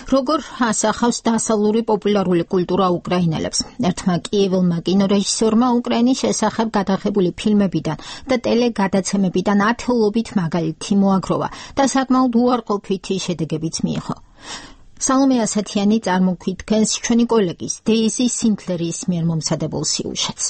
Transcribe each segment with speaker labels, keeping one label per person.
Speaker 1: როგორ ასახავს დასავლური პოპულარული კულტურა უკრაინელებს. ერთმა კიევილმა კინორეჟისორმა უკრაინის შესახებ გადაღებული ფილმებიდან და ტელეგადაცემებიდან ათეულობით მაგალითი მოაგროვა და საკმაოდ უარყოფითი შედეგებიც მიიღო. სალომე ასათიანი წარმოგვიდგენს ჩვენი კოლეგის დეიზი სინკლერის მიერ მომზადებულ სიუჟეტს.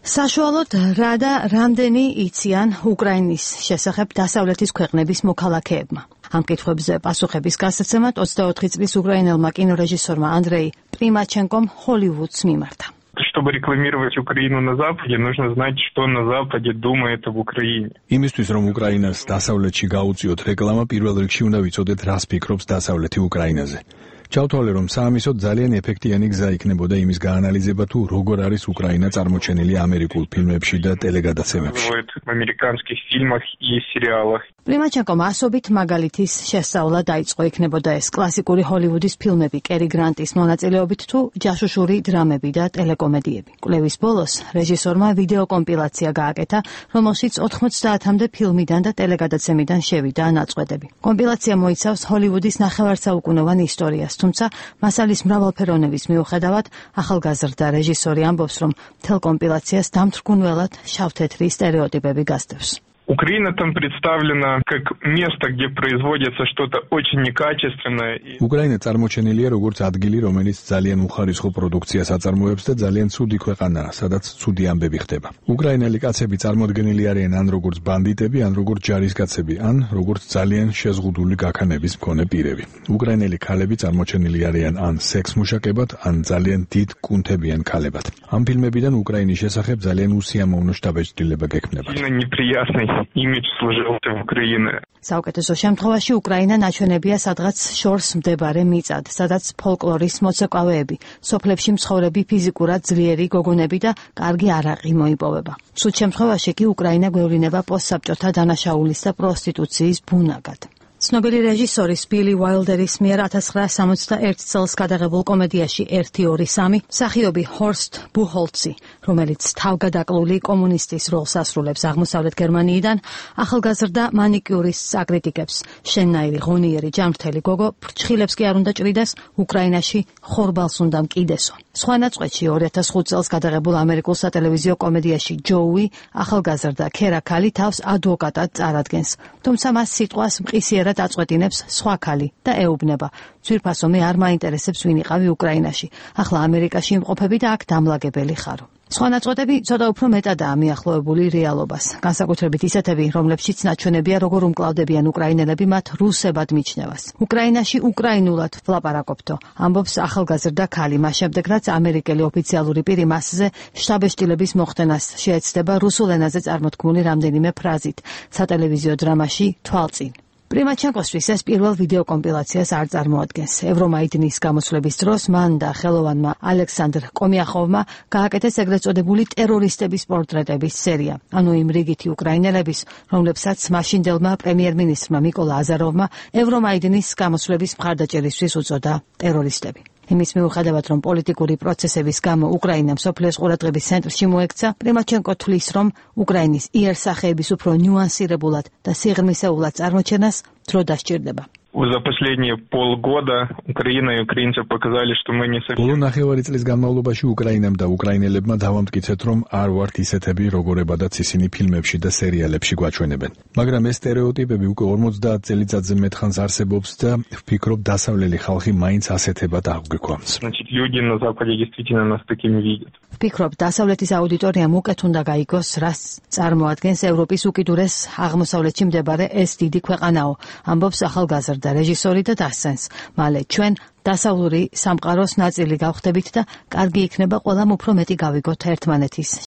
Speaker 2: საშუალოდ რა და რამდენი იციან უკრაინის შესახებ დასავლეთის ქვეყნების მოქალაქეებმა. ამ კითხვებზე პასუხების გასაცემად 24 წლის უკრაინელმა კინორეჟისორმა ანდრეი პრიმაჩენკომ ჰოლივუდს მიმართა.
Speaker 3: Чтобы рекламировать Украину на Западе, нужно знать, что на Западе думает об Украине.
Speaker 4: Იმისთვის რომ უკრაინას დასავლეთში გაუწიოთ რეკლამა, პირველ რიგში უნდა ვიცოდეთ, რას ფიქრობს დასავლეთი უკრაინაზე. ჩავთვალე, რომ საამისოდ ძალიან ეფექტიანი გზა იქნებოდა იმის გაანალიზება, თუ როგორ არის უკრაინა წარმოჩენილი ამერიკულ ფილმებში და ტელეგადაცემებში.
Speaker 3: В американских фильмах и сериалах.
Speaker 2: პრიმაჩენკომ ასობით მაგალითის შესწავლა დაიწყო, იქნებოდა ეს კლასიკური ჰოლივუდის ფილმები კერი გრანტის მონაწილეობით თუ ჯაშუშური დრამები და ტელეკომედიები. კვლევის ბოლოს რეჟისორმა ვიდეო კომპილაცია გააკეთა, რომელშიც 90-მდე ფილმიდან და ტელეგადაცემიდან შევიდა ნაწყვეტები. კომპილაცია მოიცავს ჰოლივუდის ნახევარსაუკუნოვან ისტორიას, თუმცა მასალის მრავალფეროვნების მიუხედავად ახალგაზრდა რეჟისორი ამბობს, რომ მთელ კომპილაციას დამთრგუნველად შავ-თეთრი стереოტიპები გასდევს.
Speaker 3: Украина там представлена как место, где производится что-то очень некачественное.
Speaker 4: უკრაინა წარმოჩენილია როგორც ადგილი, რომელიც ძალიან უხარისხო პროდუქციას აწარმოებს და ძალიან ცუდი ქვეყანაა, სადაც ცუდი ამბები ხდება. უკრაინელი კაცები წარმოდგენილი არიან ან როგორც ბანდიტები, ან როგორც ჯარისკაცები, ან როგორც ძალიან შეზღუდული გაქანების მქონე პირები. უკრაინელი ქალები წარმოჩენილი არიან ან სექსმუშაკებად, ან ძალიან დიდ კუნთებიან ქალებად. ამ ფილმებიდან უკრაინის შესახებ ძალიან უსიამოვნო შთაბეჭდილება გექმნება.
Speaker 3: Имидж сложился в Украине.
Speaker 2: საუკეთესო შემთხვევაში უკრაინა ნაჩვენებია სადღაც შორს მდებარე მიწად, სადაც ფოლკლორის მოცეკვავეები, სოფლებში მცხოვრები ფიზიკურად ძლიერი გოგონები და კარგი არაყი მოიპოვება. სულ შემთხვევაში კი უკრაინა გვევლინება პოსტსაბჭოთა დანაშაულის და პროსტიტუციის ბუნაგად. ცნობილი რეჟისორის ბილი უაილდერის მიერ 1961 წელს გადაღებულ კომედიაში 1-2-3 მსახიობი ჰორსტ ბუჰოლცი, რომელიც თავგადაკლული კომუნისტის როლს ასრულებს აღმოსავლეთ გერმანიიდან, ახალგაზრდა მანიკიურისტს აკრიტიკებს. შენნაირი ღონიერი ჯანმრთელი გოგო ფრჩხილებს კი არ უნდა ჭრიდეს, უკრაინაში ხორბალს უნდა მკიდესო. სხვა ნაწყვეტში 2005 წელს გადაღებულ ამერიკულ სატელევიზიო კომედიაში ჯოუი, ახალგაზრდა ქერა ქალი თავს ადვოკატად წარადგენს, თუმცა მას სიტყვას მყისიერად აწყვეტინებს სხვა ქალი და ეუბნება. ძვირფასო მე არ მაინტერესებს ვინ იყავი უკრაინაში. ახლა ამერიკაში იმყოფები და აქ დამლაგებელი ხარო. სხვა ნაწყვეტები ცოტა უფრო მეტადაა მიახლოებული რეალობას. განსაკუთრებით ისეთები, რომლებშიც ნაჩვენებია როგორ უმკლავდებიან უკრაინელები მათ რუსებად მიჩნევას. უკრაინაში უკრაინულად ვლაპარაკობთო, ამბობს ახალგაზრდა ქალი, მას შემდეგ რაც ამერიკელი ოფიციალური პირი მასზე შთაბეჭდილების მოხდენას შეეცდება რუსულ ენაზე წარმოთქმული რამდენიმე ფრაზით სატელევიზიო დრამაში თვალწინ. პრიმაჩენკოსთვის ეს პირველ ვიდეო კომპილაციას არ წარმოადგენს. ევრომაიდნის გამოსვლების დროს მან და ხელოვანმა ალექსანდრ კომიახოვმა გააკეთეს ეგრეთ წოდებული ტერორისტების პორტრეტების სერია, ანუ იმ რიგითი უკრაინელების, რომლებსაც მაშინდელმა პრემიერ-მინისტრმა მიკოლა აზაროვმა ევრომაიდნის გამოსვლების მხარდაჭერისთვის უწოდა ტერორისტები. იმის მიუხედავად, რომ პოლიტიკური პროცესების გამო უკრაინა მსოფლიოს ყურადღების ცენტრში მოექცა, პრიმაჩენკო თვლის, რომ უკრაინის იერსახეების უფრო ნიუანსირებულად და სიღრმისეულად წარმოჩენას დრო დასჭირდება.
Speaker 3: За последние полгода Украина и украинцы показали, что мы не совсем.
Speaker 4: ბოლო ნახევარი წლის განმავლობაში უკრაინამ და უკრაინელებმა დავამტკიცეთ, რომ არ ვართ ისეთები, როგორებადაც ისინი ფილმებში და სერიალებში გვაჩვენებენ. მაგრამ ეს стереოტიპები უკვე 50 წელიწადზე მეტხანს არსებობს და ვფიქრობ, დასავლელი ხალხი მაინც ასეთებად აღგვიქვამს.
Speaker 3: Значит, люди на Западе действительно нас такими видят.
Speaker 2: ვფიქრობ, დასავლეთის აუდიტორიამ უკეთ უნდა გაიგოს, რას წარმოადგენს ევროპის უკიდურეს აღმოსავლეთში მდებარე ეს დიდი ქვეყანაო, ამბობს ახალგაზრდა რეჟისორი და დასცენს. მალე ჩვენ დასავლური სამყაროს ნაწილი გავხდებით და კარგი იქნება ყველამ უფრო მეტი გავიგოთ ერთმანეთის